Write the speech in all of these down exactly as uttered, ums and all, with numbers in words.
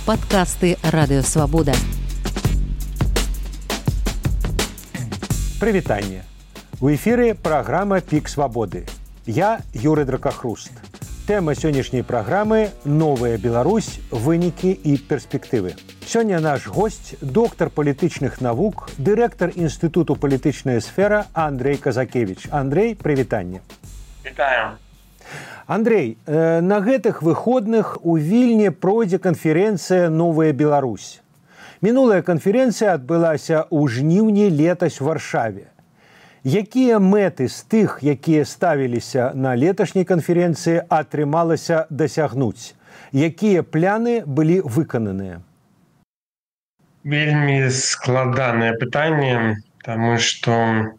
Падкасты Радыё Свабода. Прывітанне. У эфіры праграма «Пік свабоды». Я Юрый Дракахруст. Тэма сённяшняй праграмы «Новая Беларусь. Вынікі і перспектывы». Сёння наш госць, доктар палітычных навук, дырэктар Інстытуту палітычная сфера Андрэй Казакевіч. Андрэй, прывітанне. Вітаю. Андрэй, на гэтых выходных у Вільні пройдзе канферэнцыя «Новая Беларусь». Мінулая канферэнцыя адбылася ў жніўні летась у Варшаве. Якія мэты з тых, якія ставіліся на леташняй канферэнцыі, атрымалася дасягнуць? Якія пляны былі выкананыя? Вельмі складанае пытанне, таму што,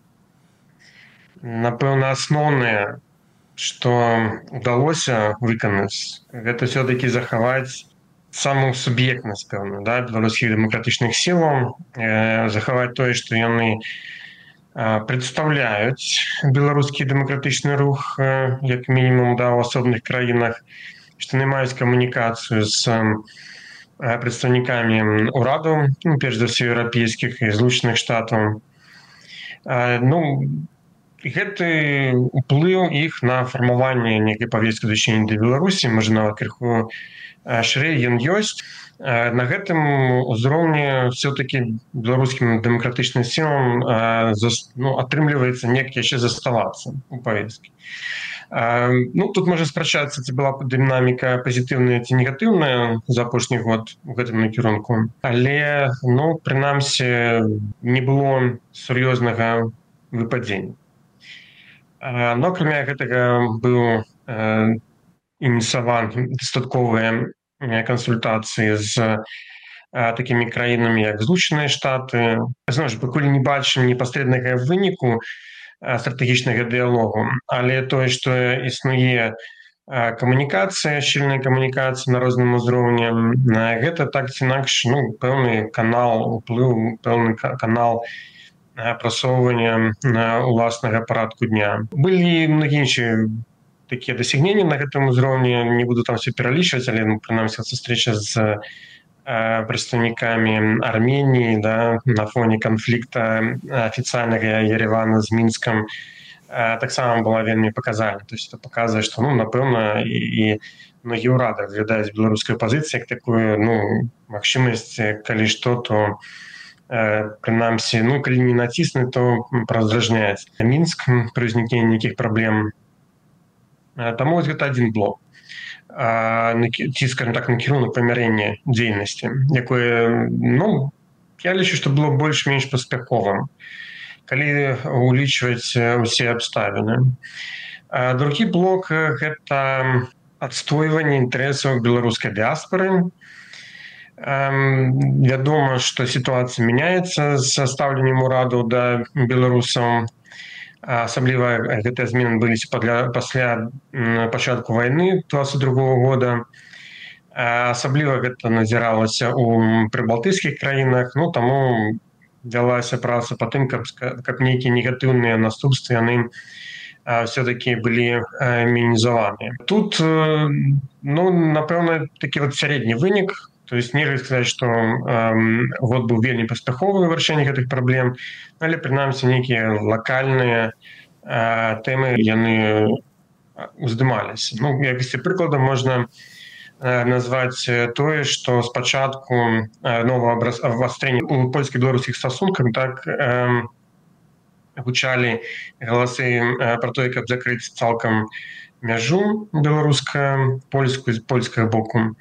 напэўна, асноўнае, што ўдалося выканаць, гэта ўсё-такі захаваць самую суб'ектнасць, пэўна, да, беларускіх дэмакратычных сілаў, э, захаваць тое, што яны э, прадстаўляюць беларускі дэмакратычны рух, э, як мінімум, да, ў асобных краінах, што яны маюць камунікацыю з э, прадстаўнікамі ўраду, ну, перш за ўсё еўрапейскіх і злучаных штатаў. Э, ну, гэты ўплыў іх на фармаванне нейкай павесткі дачынення да Беларусі, можа, нават крыху шырэй ён ёсць. На гэтым узроўні ўсё-такі беларускім дэмакратычным сілам ну, атрымліваецца неяк яшчэ заставацца у павесткі. Ну, тут можа спрачацца, ці была дынаміка пазітыўная ці негатыўная за апошні год у гэтым накірунку. Але, ну, прынамсі, не было сур'ёзнага выпадзення. Но, акрамя гэтага, быў э, ініцыяваны дастатковыя кансультацыі з э, такімі краінамі, як Злучаныя Штаты. Зноў ж, пакуль не бачым непасрэднага выніку э, стратэгічнага дыялогу, але тое, што існуе э, камунікацыя, шчыльная камунікацыя на розным узроўні, э, гэта так ці інакш, ну, пэўны канал уплыву, пэўны канал прасоўвання уласнага парадку дня. Былі многія іншыя такія дасягненні на гэтым узроўні, не буду там все пералічваць, але, ну, прынамсі, сустрэча з э, прадстаўнікамі Арменіі, да, на фоне канфлікта афіцыйнага Еревана з Мінскам, э, таксама была вельмі паказальна. То есть это паказвае, што, ну, напэўна, і, і многія ўрады разглядаюць беларускую пазіцыю як такую, ну, магчымасць, калі што, то прынамсі, ну, калі не націснуць, то празражняць Мінск пры ўзнікненні нейкіх праблем. Таму вось гэта адзін блок. Ці, скажем так, накірунак памірэння дзейнасці, якое, ну, я лічу, што было больш-менш паспяховым, калі улічваць усе абставіны. Другі блок – гэта адстойванне інтарэсаў беларускай дыяспары. Вядома, што сітуацыя мяняецца з стаўленнем ураду да беларусаў. Асабліва гэтыя змены былі пасля пачатку вайны дваццаць другога года. Асабліва гэта назіралася ў прыбалтыйскіх краінах, ну, таму вялася праца па тым, каб, каб нейкія негатыўныя наступствы яны все-таки былі мінімізаваныя. Тут, ну, напэўна, такі вот сярэдні вынік. То есть нельга сказаць, што э, год быў вельмі паспяховы ў вырашэнні гэтых праблем, але, прынамсі, нейкія лакальныя э, тэмы яны уздымаліся. Ну, якасці прыклада можна э, назваць тое, што спачатку э, новага абвастрэння ў польска-беларускіх стасунках так э, гучалі галасы э, пра тое, каб закрыць цалкам мяжу беларуска-польскую з польскага боку.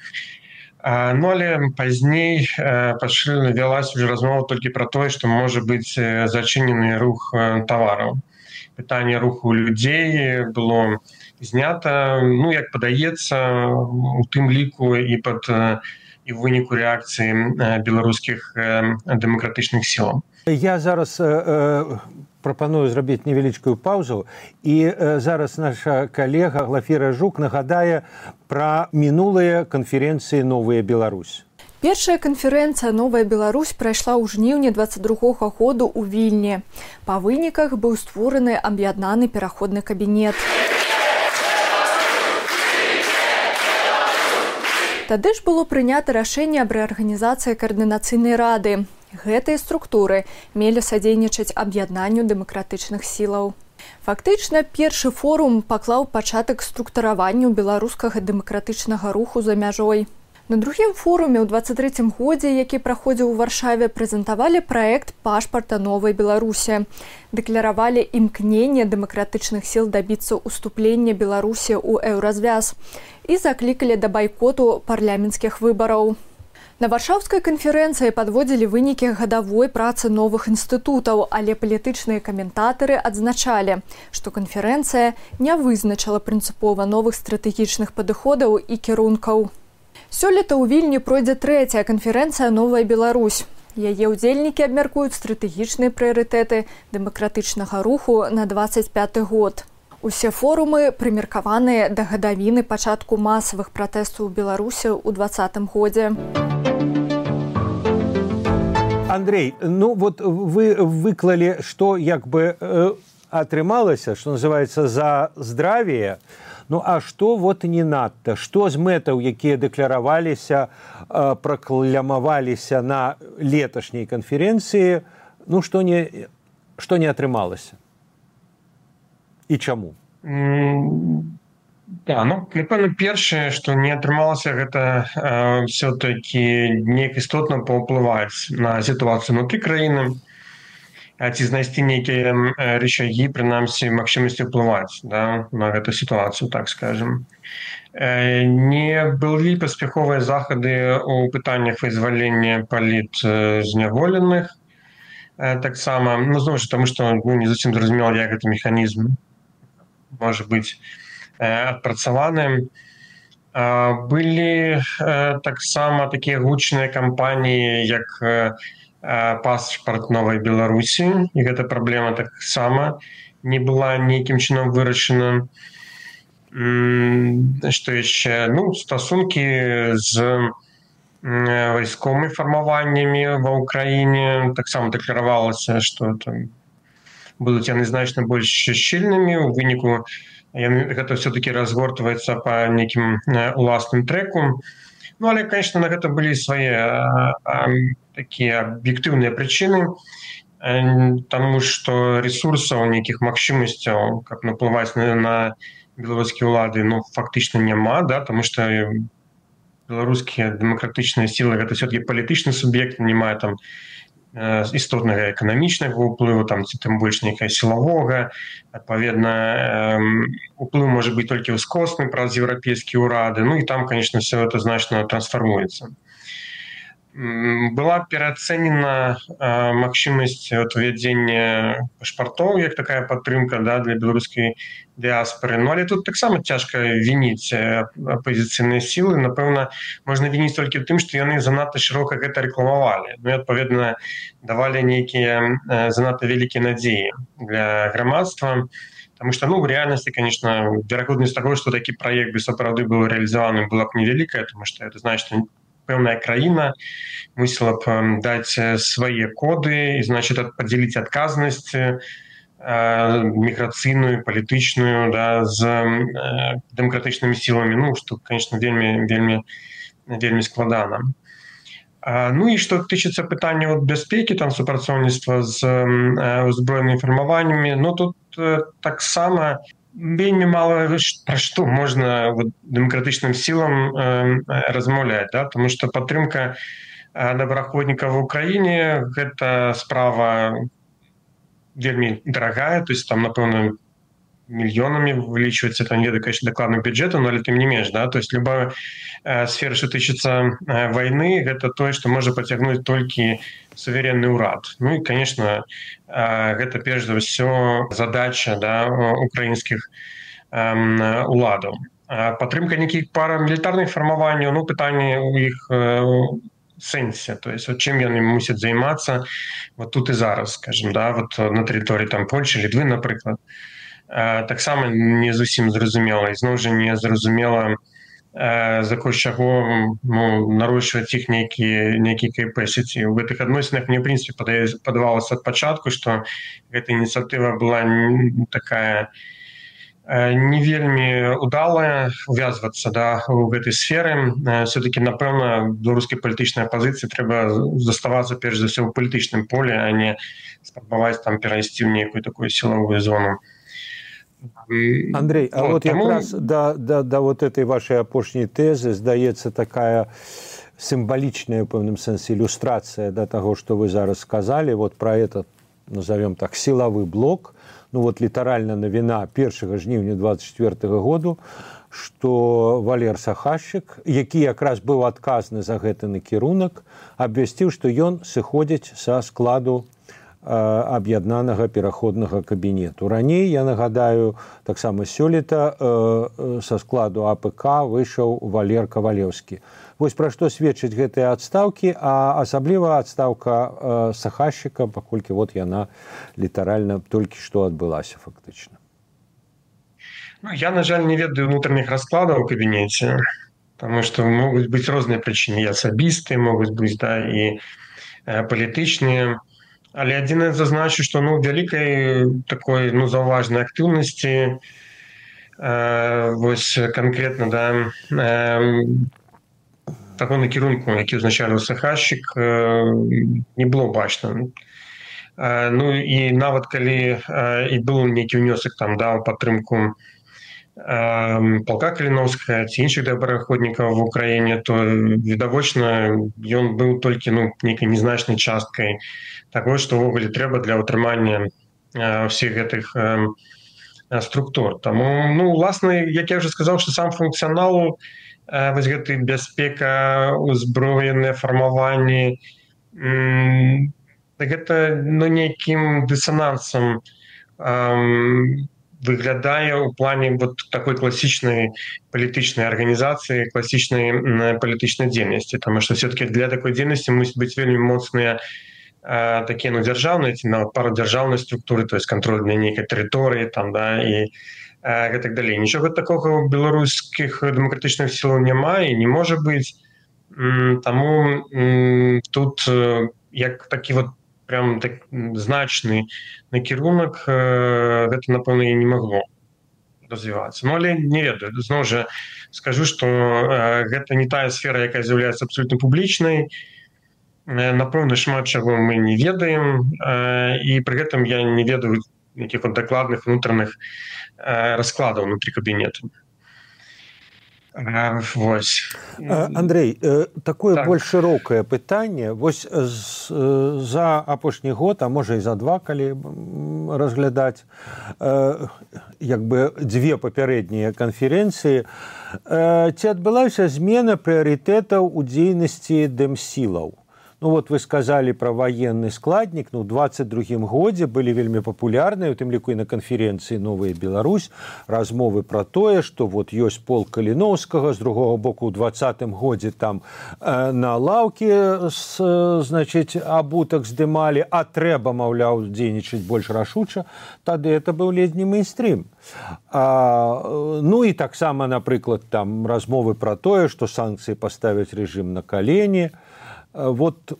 Ну, але пазней пачалі вялась уже размова толькі пра тое, што можа быць зачынены рух тавараў. Пытанне руху людзей было знята, ну, як падаецца, у тым ліку і пад і ў выніку рэакцыі беларускіх дэмакратычных сілаў. Я зараз э, прапаную зрабіць невялічкую паўзу, і э, зараз наша калега Глафіра Жук нагадае пра мінулыя канферэнцыі «Новая Беларусь». Першая канферэнцыя «Новая Беларусь» прайшла ў жніўні дваццаць другога году ў Вільні. Па выніках быў створаны аб'яднаны пераходны кабінет. Тады ж было прынята рашэнне аб рэарганізацыі каардынацыйнай рады. Гэтыя структуры мелі садзейнічаць аб'яднанню дэмакратычных сілаў. Фактычна, першы форум паклаў пачатак структураванню беларускага дэмакратычнага руху за мяжой. На другім форуме ў дваццаць трэцім годзе, які праходзіў у Варшаве, прэзентавалі праект пашпарта новай Беларусі, дэкляравалі імкненне дэмакратычных сіл дабіцца ўступлення Беларусі ў еўразвяз і заклікалі да байкоту парламенцкіх выбараў. На Варшаўскай канферэнцыі падводзілі вынікі гадавой працы новых інстытутаў, але палітычныя каментатары адзначалі, што канферэнцыя не вызначыла прынцыпова новых стратэгічных падыходаў і кірункаў. Сёлета ў Вільні пройдзе трэцяя канферэнцыя «Новая Беларусь». Яе ўдзельнікі абмяркуюць стратэгічныя прыярытэты дэмакратычнага руху на дваццаць пяты год. Усе форумы прымеркаваныя да гадавіны пачатку масавых пратэстаў у Беларусі ў двадцатым годзе. Андрей, ну вот вы выклали, что як бы э, атрымалася, что называется, за здравие. Ну а что вот не надто? Что з мэтаў, якія дэкляраваліся, э, пракламаваліся на леташняй канферэнцыі, ну что не, что не атрымалася? І чаму? Mm. Да, ну, напэўна, першае, што не атрымалася, гэта э, все-таки неяк істотна паўплываць на сітуацыю внутры краіны, ці знайсці нейкія э, рычагі, прынамсі, магчымасці ўплываць, да, на гэту сітуацыю, так скажем. Э, не былі паспяховыя захады ў пытаннях вызвалення палітзняволеных, э, таксама, ну, зноў ж, таму што ну, не зусім зразумела, як гэты механізм можа быць адпрацаваны. Былі таксама такія гучныя кампаніі, як пашпарт новай Беларусі, і гэта праблема таксама не была нейкім чынам вырашана. Што яшчэ? Ну, стасункі з вайсковымі фармаваннямі ва ўкраіне таксама дэкляравалася, што там будуць яны значна больш шчыльнымі, у выніку гэта все-таки разгортваецца по нейкім уласным трэку. Ну, але, конечно, на гэта былі свае а, а, такія аб'ектыўныя прычыны, таму што ресурсаў, нейкіх магчымасцяў, каб наплываць на, на беларускія ўлады, ну, фактычна няма, да, таму што беларускія дэмакратычныя сілы гэта все-таки палітычны суб'ект, не мае там істотнага эканамічнага ўплыву, там, ці тым больш нейкая сілавога. Адпаведна, уплыў можа быць толькі ўскосны праз еўрапейскія ўрады. Ну і там, конечно, все это значна трансфармуецца. Была пераацэнена магчымасць увядзення пашпартоў, як такая падтрымка, да, для беларускай дыаспоры. Ну, але тут таксама цяжка вініць апозіцыйныя сілы. Напэўна, можна вініць толькі тым, што яны занадта шырока гэта рэкламавалі. Ну і, адпаведна, давалі нейкія занадта вялікія надзеі для грамадства. Потому что, ну, в реальности, конечно, верагоднасць таго, што такі праект бы сапраўды быў рэалізаваны, была б невялікая, тому што это значит, што пэўная краіна мусіла б даць свае коды і, значит, падзеліць адказнасць э, міграцыйную, палітычную, да, з э, дэмакратычнымі сіламі, ну, што, конечно, вельмі, вельмі, вельмі складана. А, ну і што тычыцца пытання от бяспекі, там, супрацоўніцтва з э, узброенымі фармаваннямі, ну, тут э, таксама вельмі мала пра што можна вот, дэмакратычным сілам э, размаўляць, да? Тому што падтрымка э, добраахвотнікаў в Украіне гэта справа вельмі дарагая, то есть там, напэўна, мільёнамі вылічваецца, там не ведаю, конечно, дакладным бюджэтам, але тым не менш, да? То есть любая э, сфера, што тычыцца э, вайны, гэта тое, што можа пацягнуць толькі суверенны ўрад. Ну і, конечно, гэта перш за ўсё задача, да, украінскіх уладаў. Падтрымка нейкіх парамілітарных фармаванняў, ну, пытанне ў іх сэнсе, то есть, чым яны мусяць займацца вот тут і зараз, скажем, да, вот на тэрыторыі там Польшчы, Літвы, напрыклад. Таксама не зусім зразумела, і зноў жа не зразумела, за кошт чаго ну, нарощваць іх нейкія нейкія капэсіці. У гэтых адносінах мне, в прынцыпе, падавалася ад пачатку, што гэта ініцыятыва была такая не вельмі удалая увязвацца да у гэтай сферы. Все-таки напэўна беларускай палітычнай апазіцыі трэба заставацца перш за ўсё ў палітычным поле, а не спрабаваць там перайсці ў нейкую такую сілавую зону. Андрей, а вот, вот тому... якраз да, да, да вот этой вашай апошняй тэзы здаецца такая сімвалічная ў пэўным сэнсе ілюстрацыя да таго, што вы зараз сказалі, вот про этот, назовем так, сілавы блок. Ну вот літаральна навіна першага жніўня двадцать четвёртага году, што Валер Сахашчык, які якраз быў адказны за гэты накірунак, абвясціў, што ён сыходзіць са складу э, аб'яднанага пераходнага кабінету. Раней, я нагадаю, таксама сёлета э, са складу А П К выйшаў Валер Кавалеўскі. Вось пра што сведчаць гэтыя адстаўкі, а асабліва адстаўка э, Сахашчыка, паколькі вот яна літаральна толькі што адбылася фактычна. Ну, я, на жаль, не ведаю внутренних раскладаў у кабінеце, потому што могуць быць розныя прычыны, і асабістыя, могуць быць, да, і э, палітычныя. Але адзінае зазначу, што ну, вялікай такой ну, заўважнай актыўнасці э, вось канкрэтна да, э, таго накірунку, які ўзначальваў Сахашчык, не было бачна. Ну і нават калі і быў нейкі ўнёсак там да ў падтрымку палка Каліноўскага ці іншых добраахвотнікаў в Украіне, то відавочна ён быў толькі ну, нейкай незначнай часткай таго, што ўвогуле трэба для ўтрымання ўсіх гэтых структур. Таму, ну, уласна, як я вже сказаў, што сам функцыянал вось гэты бяспека, узброеныя фармаванні, гэта ну, нейкім дысанансам выглядае ў плане вот такой класічнай палітычнай арганізацыі, класічнай палітычнай дзейнасці, таму што все-таки для такой дзейнасці мусіць быць вельмі моцныя такія ну, дзяржаўныя ці нават парадзяржаўнай структуры, то есть кантроль для нейкай тэрыторыі там, да, і і так далей. Нічога такога ў беларускіх дэмакратычных сілаў няма і не можа быць. Таму тут як такі вот прям так значны накірунак гэта, напэўна, і не магло развівацца. Ну, але не ведаю. Зноў жа скажу, што гэта не тая сфера, якая з'яўляецца абсолютна публічнай. Напэўна, шмат чаго мы не ведаем, і пры гэтым я не ведаю якіх вот дакладных унутраных раскладаў внутри кабінету. Вось. Андрей, такое так. больш шырокае пытанне. Вось за апошні год, а можа і за два, калі разглядаць як бы дзве папярэднія канферэнцыі, ці адбылася змена прыярытэтаў у дзейнасці дэмсілаў? Ну вот вы сказали про военный складник, ну в двадцать другім годзе были вельмі популярныя, у тым ліку і на канферэнцыі «Новая Беларусь», размовы про тое, что вот ёсць полк Каліноўскага, з другого боку ў двадцатым годзе там э, на лаўкі с, значит, абутак здымалі, а трэба, маўляў, дзейнічаць больш рашуча, тады это быў ледзь не мейнстрим. А, ну і таксама, напрыклад, там размовы про тое, что санкцыі паставяць рэжым на калені. Вот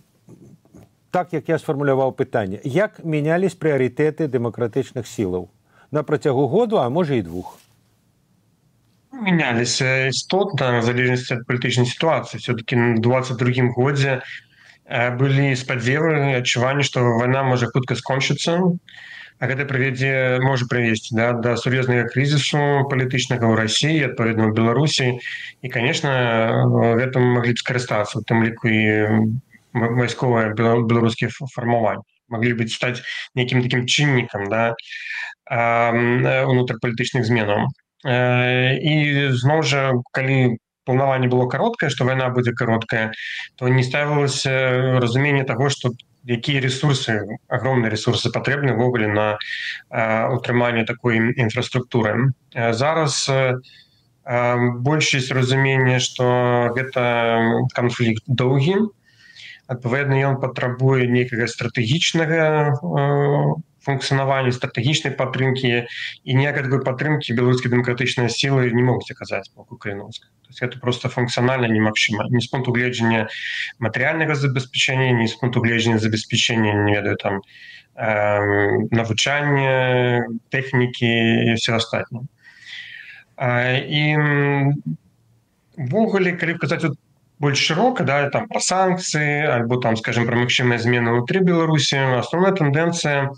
так, як я сфармуляваў пытанне. Як мянялись прыярытэты дэмакратычных сілаў? На працягу году, а можа і двух? Менялись істотна, в залежнасці ад палітычнай сітуацыі. Все-таки в двадцать другім годзе былі спадзевы, адчуванні, што вайна можа хутка скончыцца, а гэта прывядзе, можа прывесці да, да сур'ёзнага крызісу палітычнага ў Расіі, адпаведна ў Беларусі. І, конечно, гэтым маглі б скарыстацца, у тым ліку і вайсковыя беларускія фармаванні. Маглі б стаць нейкім такім чыннікам да, унутрапалітычных зменаў. І зноў жа, калі планаванне было кароткае, што вайна будзе кароткая, то не ставілася разуменне таго, што якія ресурсы, огромныя ресурсы патрэбны ўвогуле на утрыманне такой інфраструктуры. Зараз большасць разумення, што гэта канфлікт доўгі, адпаведна ён патрабуе нейкага стратэгічнага функцыянавання, стратэгічнай падтрымкі, і ніякай такой падтрымкі беларускія дэмакратычныя сілы не могуць аказаць з боку Каліноўскага. То есть это просто функцыянальна немагчыма. Ні з пункту гледжання матэрыяльнага забеспячэння, ні з пункту гледжання забеспячэння, не ведаю, там, э, навучання, тэхнікі і все астатняе. І увогуле, калі казаць вот больш шырока, да, там пра санкцыі альбо там, скажем, пра магчымыя змены ўнутры Беларусі, асноўная тэндэнцыя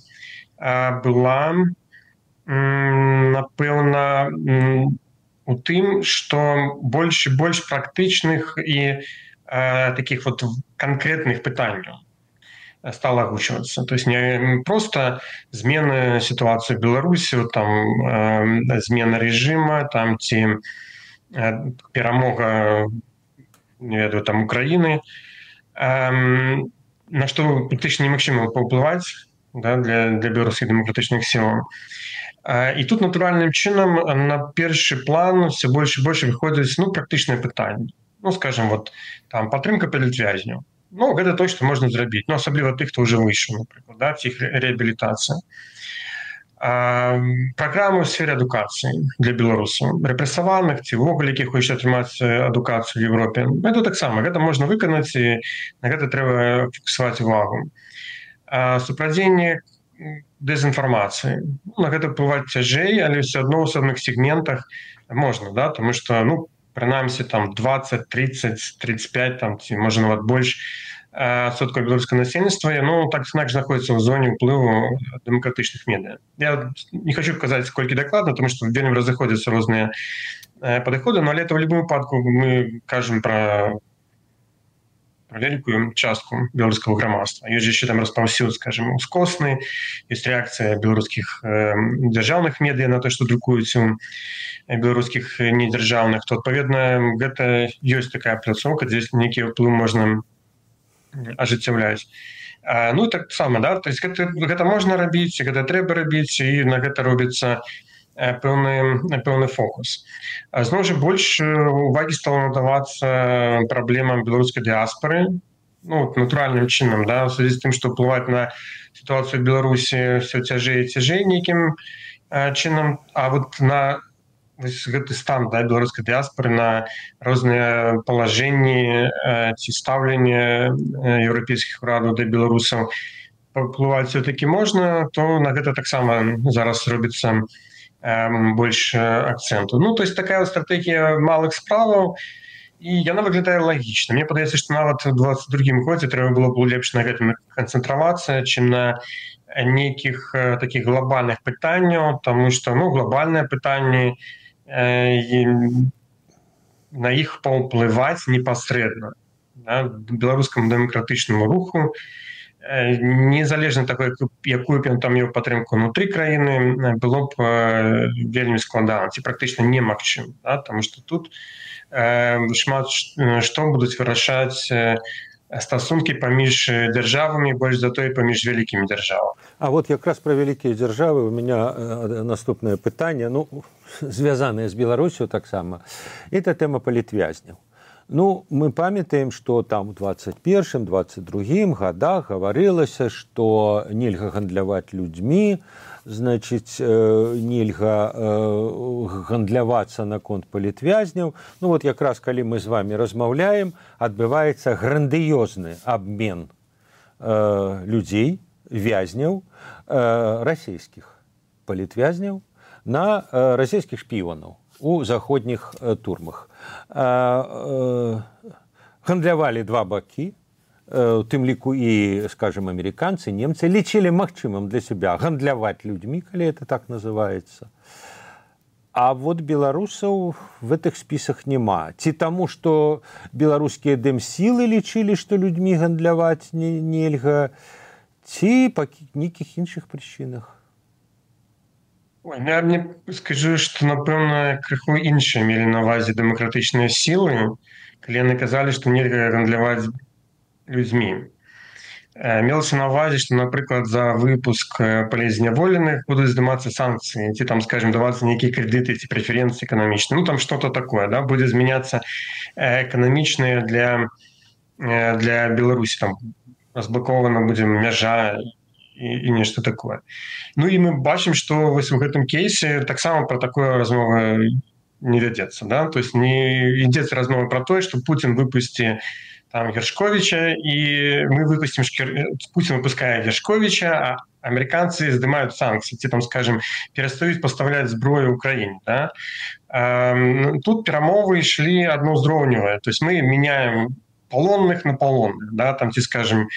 была, напэўна, у тым, што больш і больш практычных і такіх вот канкрэтных пытанняў стала агучвацца. То есть не просто змены сітуацыі ў Беларусі, там змена рэжыма, там ці перамога, не ведаю, там Украіны, на што практычна немагчыма паўплываць, да, для, для беларускіх дэмакратычных сілаў. І тут натуральным чынам на першы план все больш і больш выходзяць, ну, практычныя пытанні. Ну, скажем, вот там падтрымка палітвязняў. Ну, гэта то, што можна зрабіць. Ну, асабліва тых, хто ўжо выйшаў, напрыклад, да, ці іх рэабілітацыя. Праграмы ў сфере адукацыі для беларусаў, рэпрэсаваных ці ўвогуле, якіх хочуць атрымаць адукацыю ў Европе. Гэта таксама, гэта можна выканаць, і на гэта трэба фіксаваць увагу. Супрадзенне дэзінфармацыі. На гэта ўплываць цяжэй, але ўсё адно ў асобных сегментах можна, да, тому што, ну, прынамсі, там двадцать, тридцать, тридцать пять, там, ці, можа, нават больш адсоткаў беларускага насельніцтва, ну, так знаходзіцца знаходзіцца ў зоне ўплыву дэмакратычных медыа. Я не хочу казаць, колькі дакладна, тому што вельмі разыходзяцца розныя падыходы, но але это ў любым выпадку мы кажам пра вялікую частку беларускага грамадства. Ёсць яшчэ там распаўсюд, скажем, ускосны, ёсць рэакцыя беларускіх дзяржаўных медыа на то, што друкуюць у беларускіх недзяржаўных, то, адпаведна, гэта ёсць такая пляцоўка, дзе нейкі ўплыў можна ажыццяўляць. Ну, так сама, да, то есть гэта, гэта можна рабіць, гэта трэба рабіць, і на гэта робіцца пэўны, пэўны фокус. Зноў жа, больш увагі стала надавацца праблемам беларускай дыаспары, ну, натуральным чынам, да, у связі з тым, што ўплываць на сітуацыю ў Беларусі ўсё цяжэй і цяжэй нейкім чынам, а вот на гэты стан, да, беларускай дыаспары, на розныя палажэнні ці стаўленне еўрапейскіх урадаў да беларусаў паўплываць все-таки можна, то на гэта таксама зараз робіцца больш акцэнту. Ну, то есть такая стратегія малых справаў, і яна выглядае лагічна. Мне падаецца, што нават у двадцать другім годзе трэба было б лепш на гэтым канцэнтравацца, чым на нейкіх такіх глобальных пытанняў, таму што, ну, глобальныя пытанні, на іх паўплываць непасрэдна, да, беларускаму дэмакратычнаму руху, незалежна такой, якую б ён там меў падтрымку ўнутры краіны, было б вельмі складана, ці практычна немагчыма, да, таму што тут шмат што будуць вырашаць стасункі паміж дзяржавамі, больш за тое паміж вялікімі дзяржавамі. А вот якраз пра вялікія дзяржавы у меня наступнае пытанне, ну, звязанае з Беларусю таксама. Это тэма палітвязняў. Ну, мы памятаем, што там у двадцать першым двадцать другім годах гаварылася, што нельга гандляваць людзьмі, значыць, нельга гандлявацца наконт палітвязняў. Ну, вот якраз калі мы з вами размаўляем, адбываецца грандыёзны абмен людзей, вязняў, расійскіх палітвязняў на расійскіх шпіёнаў у заходніх турмах. Гандлявалі два бакі, у тым ліку і, скажем, амерыканцы, немцы лічылі магчымым для сябе гандляваць людзьмі, калі это так называецца. А вот беларусаў в гэтых спісах няма. Ці таму, што беларускія дэмсілы лічылі, што людзьмі гандляваць нельга, ці па нейкіх іншых прычынах. Ой, я мне скажу, што, напэўна, крыху іншыя мелі на ўвазе дэмакратычныя сілы, калі яны казалі, што нельга гандляваць людзьмі. Мелася на ўвазе, што, напрыклад, за выпуск палізняволеных будуць здымацца санкцыі, ці там, скажем, давацца нейкія крэдыты ці прэферэнцыі эканамічныя. Ну, там што-то такое, да, будзе змяняцца эканамічныя для, для Беларусі, там разблокавана будзе мяжа і, і нешта такое. Ну і мы бачым, што вось у гэтым кейсе таксама пра такое размова не вядзецца, да, то есть не ідзецца размова пра тое, што Путін выпусці там Гершковича, и мы выпустим, Путин выпускает Гершковича, а американцы сдымают санкции, те там, скажем, перестают поставлять зброю Украине. Да? Тут перемовы шли одноузровневые, то есть мы меняем полонных на полонных, да, там, те, скажем,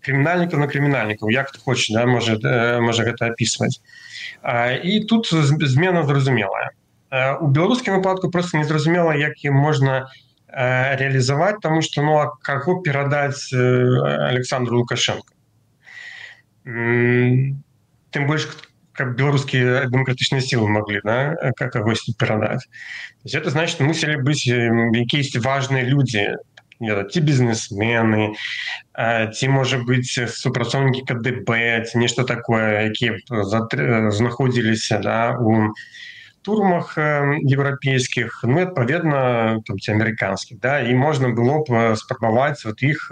криминальников на криминальников, як хто хоче, да, може, може гэта описывать. І тут змена зразумелая. У беларускім выпадку просто не зразумела, як ім можна реализовать, потому что, ну, а кого передать Александру Лукашенко? Тем больше, как белорусские демократичные силы могли, да, как его передать. То есть это значит, что мусили быть какие-то важные люди, ті бізнесмени, ті, може бути, супрацовники ка де бе, ті нешта такое, які знаходилися, да, у турмах європейських, ну, відповідно, там, ті американських, да, і можна було б спробувати от їх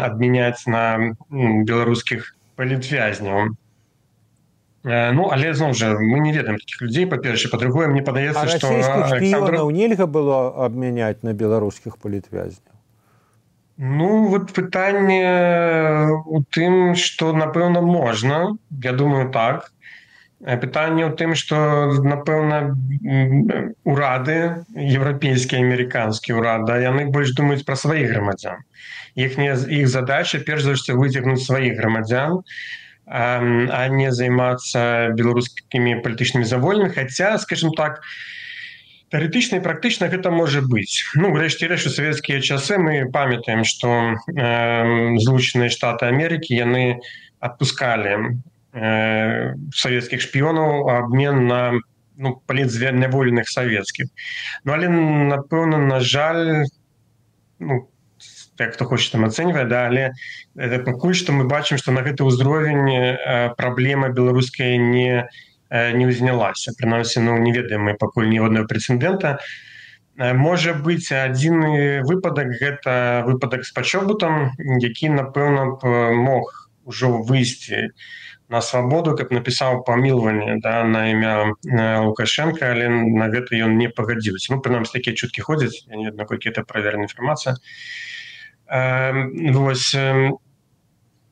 обміняти на білоруських політв'язнів. Ну, але, знову ж, ми не ведаем таких людей, по-перше, по-друге, мені подається, що... А расійскіх шпіонів нельга було обміняти на білоруських політв'язнів? Ну, от питання у тим, що, напевно, можна. Я думаю, так. Питання у тим, що, напевно, уради, європейські, американські уради, вони більш думають про своїх громадян. Їхня, їх задача, перш за все, витягнути своїх громадян, а не займацца беларускімі палітычнымі завольнымі, хаця, скажем так, тэарэтычна і практычна гэта можа быць. Ну, грэшце рэш, у савецкія часы мы памятаем, што э, Злучаныя Штаты Амерыкі, яны адпускалі э, савецкіх шпіёнаў у абмен на, ну, палітзняволеных савецкіх. Ну, але, напэўна, на жаль, ну, як хто хоча там ацэньвае, да, але пакуль што мы бачым, што на гэты ўзровень праблема беларуская не, не ўзнялася. Прынамсі, ну, не ведаем мы пакуль ні аднаго прэцэдэнта. Можа быць, адзіны выпадак — гэта выпадак з пачобутам, які, напэўна, мог ужо выйсці на свабоду, каб напісаў памілаванне, да, на імя Лукашенка, але на гэта ён не пагадзіўся. Ну, прынамсі, такія чуткі ходзяць, я не ведаю, наколькі гэта правераная інфармацыя. Вось,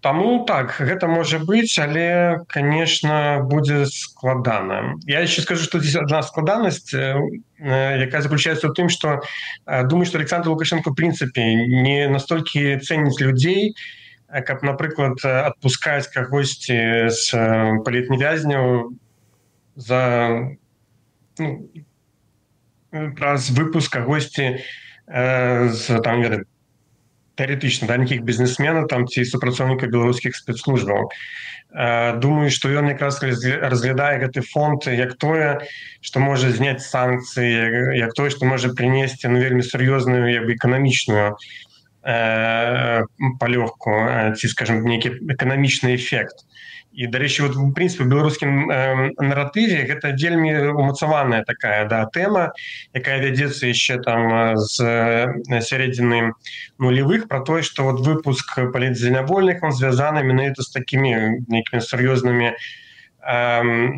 таму так, гэта можа быць, але, конечно, будзе складана. Я еще скажу, что здесь одна складанасць, якая заключаецца ў тым, што думаю, што Александр Лукашенко, в прынцыпе, не настолькі цэніць людзей, каб, напрыклад, адпускаць кагосьці з палітвязняў за, ну, праз выпуск кагосьці з, там, ведаем, тэарэтычна, да, нейкіх бізнесменаў там ці супрацоўнікаў беларускіх спецслужбаў. Думаю, што ён якраз разглядае гэты фонд як тое, што можа зняць санкцыі, як тое, што можа прынесці, ну, вельмі сур'ёзную, як бы, эканамічную э, палёгку, ці, скажем, нейкі эканамічны эфект. І, дарэчы, вот, в прынцыпе, у беларускім э, наратыве гэта вельмі умацаваная такая, да, тэма, якая вядзецца яшчэ там з сярэдзіны нулевых, про тое, што вот выпуск палітзнявольных, он звязаны менавіта з такімі нейкімі сур'ёзнымі э,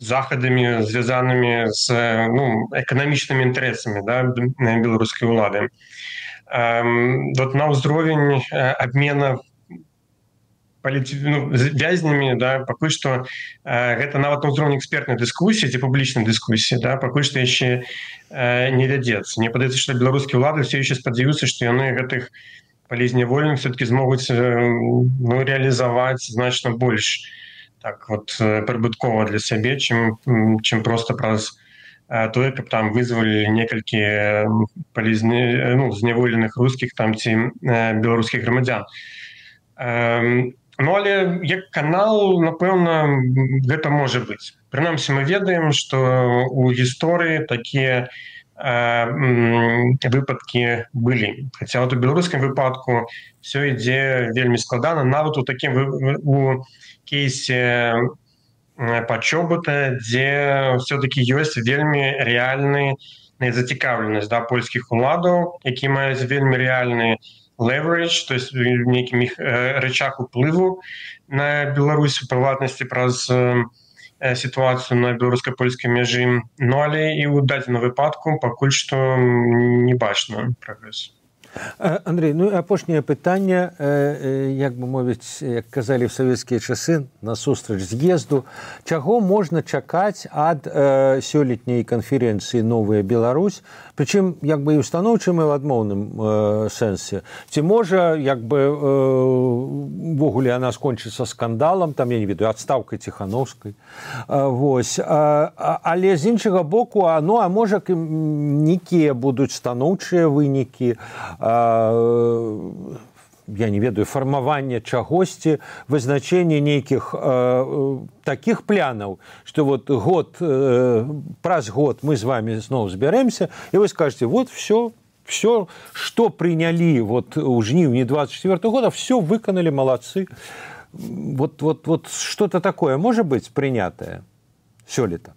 захадамі, звязанымі з, ну, эканамічнымі інтарэсамі, да, беларускай улады. Э, вот на ўзровень абмена ну, вязнямі, да, пакуль што э, гэта нават на ўзроўні экспертнай дыскусіі ці публічнай дыскусіі, да, пакуль што яшчэ э, не вядзецца. Мне падаецца, што беларускія ўлады все яшчэ спадзяюцца, што яны гэтых палітзнявольных все-таки змогуць э, ну, реалізаваць значна больш так вот прыбыткова для сябе, чым, чым проста праз э, тое, каб там вызвалі некалькі палізне, ну, зняволеных рускіх там ці э, беларускіх грамадзян. Э, Ну, але як канал, напэўна, гэта можа быць. Прынамсі, мы ведаем, што ў гісторыі такія э, выпадкі былі. Хаця вот у беларускім выпадку все ідзе вельмі складана. Нават у такім у кейсе пачобута, дзе все-таки ёсць вельмі рэальная зацікаўленасць, да, польскіх уладаў, які маюць вельмі рэальныя leverage, то есть неким их э, рычаг уплыву на Беларусь, в приватности, праз э, сітуацыю на беларуска-польскай мяжы, ну але і ў дадзеным выпадку пакуль што не бачна прагрэсу. Андрей, ну і апошняе пытанне, як бы мовіць, як казалі ў савецкія часы насустрач з'езду, чаго можна чакаць ад э, сёлетняй канферэнцыі «Новая Беларусь», прычым як бы і ўстаноўчым і ў адмоўным э, сэнсе. Ці можа як бы увогуле э, яна скончыцца скандалам, там я не ведаю, адстаўкай Ціхановскай. Э, вось. А, але з іншага боку, а, ну а можа нейкія будуць станоўчыя вынікі, я не ведаю, фармаванне чагосьці, вызначэнне нейкіх э, такіх планаў, што вот год, э, праз год мы з вами зноў збярэмся, і вы скажете, вот все, все, што прынялі вот у жніўні двадцать четвёртого года, все выканалі, малацы. Вот, вот, вот что-то такое можа быць прынятае сёлета?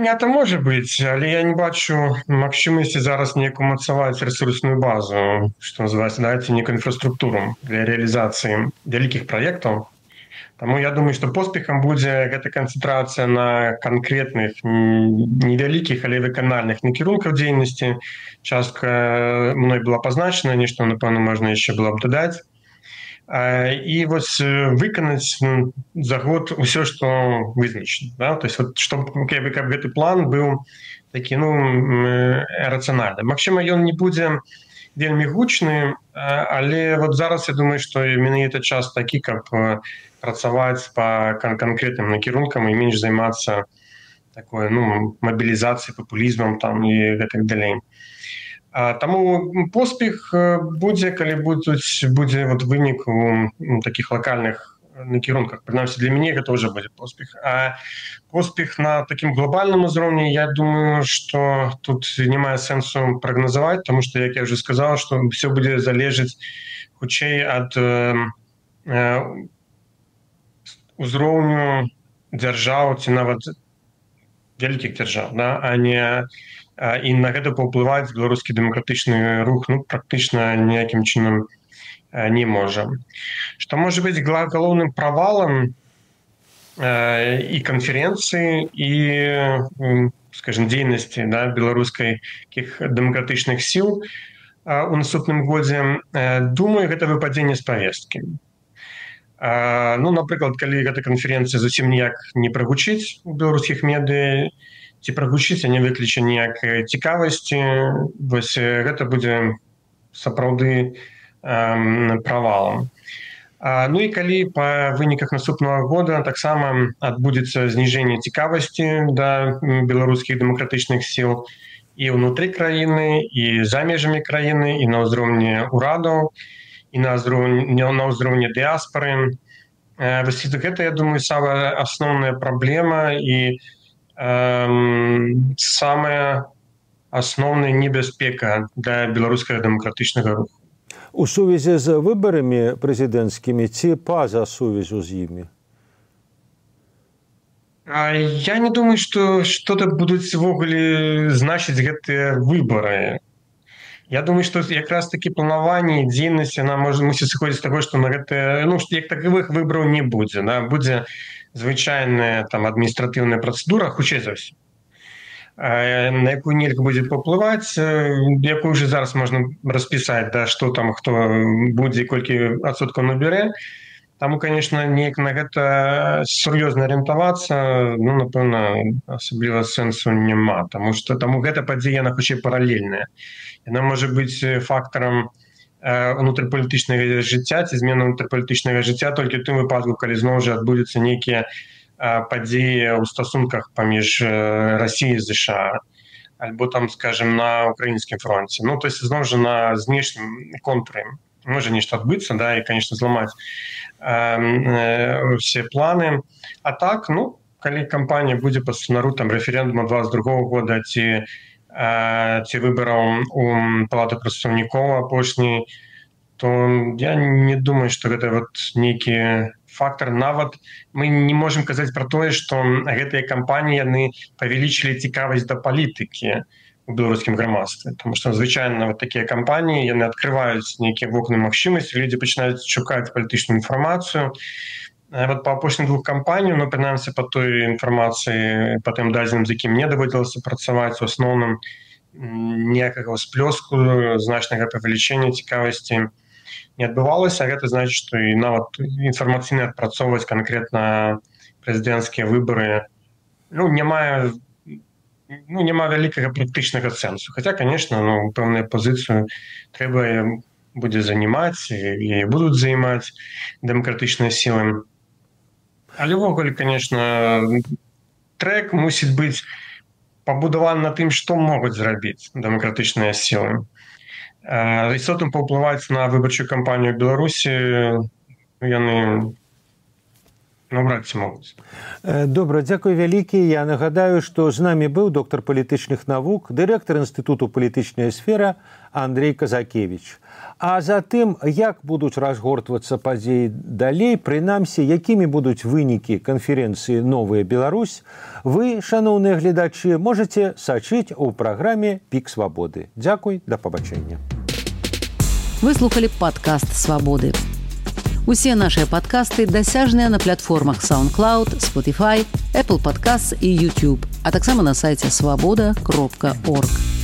Это можа быць, але я не бачу магчымасці зараз неяк умацаваць рэсурсную базу, што называецца, дайце некую інфраструктуру для рэалізацыі вялікіх праектаў. Таму я думаю, што поспехам будзе гэта канцэнтрацыя на канкрэтных невялікіх, але выканальных накірунках дзейнасці. Частка мной была пазначана, нешта, напэўна, можна яшчэ было б дадаць. І вось выканаць за год усё, што вызначана. Да? То есть, вот, чтобы, каб, каб гэты план быў такі, ну, рацыянальны. Магчыма, ён не будзе вельмі гучны, але вот зараз я думаю, што менавіта час такі, каб працаваць па кан- канкрэтным накірункам і менш займацца такой, ну, мабілізацыяй, папулізмам там і гэтак далей. Таму поспех будзе, калі будуць, будзе вот вынік у такіх лакальных накірунках. Прынамсі, для мяне гэта ўжо будзе поспех. А поспех на такім глобальным узроўні, я думаю, што тут не мае сэнсу прагназаваць, таму што, як я ўжо сказаў, што ўсё будзе залежаць хутчэй ад э, узроўню дзяржаў ці нават вялікіх дзяржаў, да? А не і на гэта паўплываць беларускі дэмакратычны рух, ну, практычна ніякім чынам не можа. Што можа быць галоўным правалам э, і канферэнцыі, і, скажем, дзейнасці, да, беларускіх дэмакратычных сіл э, у наступным годзе, э, думаю, гэта выпадзенне з павесткі. Э, ну, напрыклад, калі гэта канферэнцыя зусім ніяк не прагучыць у беларускіх медыа, ці прагучыць, а не выкліча ніякай цікавасці, вось гэта будзе сапраўды э, правалам. А, ну і калі па выніках наступнага года таксама адбудзецца зніжэнне цікавасці да беларускіх дэмакратычных сіл і ўнутры краіны, і за межамі краіны, і на ўзроўні ўрадаў, і на ўзроўні, на ўзроўні дыаспары. Э, вось гэта, я думаю, самая асноўная праблема і самая асноўная небяспека для беларускага дэмакратычнага руху. У сувязі з выбарамі прэзідэнцкімі ці па-за сувязю з імі? Я не думаю, што што-то будуць увогуле значыць гэтыя выбары. Я думаю, што якраз такі планаванне і дзейнасць, яна можа мусіць сыходзіць з таго, што на гэта, ну, як таковых выбараў не будзе, да? Будзе звычайная там адміністратыўная працэдура, хутчэй за ўсё, на якую нельга будзе паўплываць, якую ўжо зараз можна распісаць, да, што там хто будзе, колькі адсоткаў набярэ. Таму, конечно, неяк на гэта сур'ёзна арыентавацца, ну, напэўна, асабліва сэнсу няма, таму што таму гэта падзея, яна хутчэй паралельная. Яна можа быць фактарам унутрыпалітычнага жыцця ці змены унутрыпалітычнага жыцця толькі ў тым выпадку, калі зноў жа адбудуцца нейкія падзеі ў стасунках паміж Расіяй і ЗША, альбо там, скажем, на украінскім фронце. Ну, то есть зноў жа на знешнім контуры можа нешта адбыцца, да, і, конечно, зламаць усе планы. А так, ну, калі кампанія будзе па сцэнару там рэферэндума двадцать другого года ці ці выбараў у палаты прадстаўнікоў апошняй, то я не думаю, што гэта вот нейкі фактор. Нават мы не можам казаць пра тое, што гэтыя кампаніі яны павялічылі цікавасць да палітыкі у беларускім грамадстве, тому што звычайна вот такія кампаніі яны адкрываюць нейкія вокны магчымасці, людзі пачынаюць шукаць палітычную інфармацыю, Вот по апошнім двух кампаніям, ну, прынамсі, па той інфармацыі, па тым дадзеным, з якім мне даводзілася працаваць, у асноўным ніякага ўсплёску, значнага павелічэння цікавасці не адбывалася. Гэта значыць, што і нават інфармацыйна адпрацоўваць канкрэтна прэзідэнцкія выбары, ну, няма, ну, няма вялікага практычнага сэнсу. Хаця, канешне, ну, пэўную пазіцыю трэба будзе занимаць, і будуць займаць дэмакратычныя сілы. Але ўвогуле, конечно, трек мусіць быць пабудаваны на тым, што могуць зрабіць дэмакратычныя сілы. Істотна паўплываць на выбарчую кампанію ў Беларусі яны наўрад ці могуць. Добра, дзякуй вялікі. Я нагадаю, што з намі быў доктар палітычных навук, дырэктар Інстытуту палітычная сфера Андрей Казакевіч. А затым, як будуць разгортвацца падзеі далей, прынамсі, якімі будуць вынікі канферэнцыі «Новая Беларусь», вы, шаноўныя гледачы, можаце сачыць у праграме «Пік свабоды». Дзякуй, да пабачэння. Вы слухалі падкаст «Свабоды». Усе нашыя падкасты дасяжныя на платформах SoundCloud, Spotify, Apple Podcasts і YouTube, а таксама на сайце свабода кропка орг.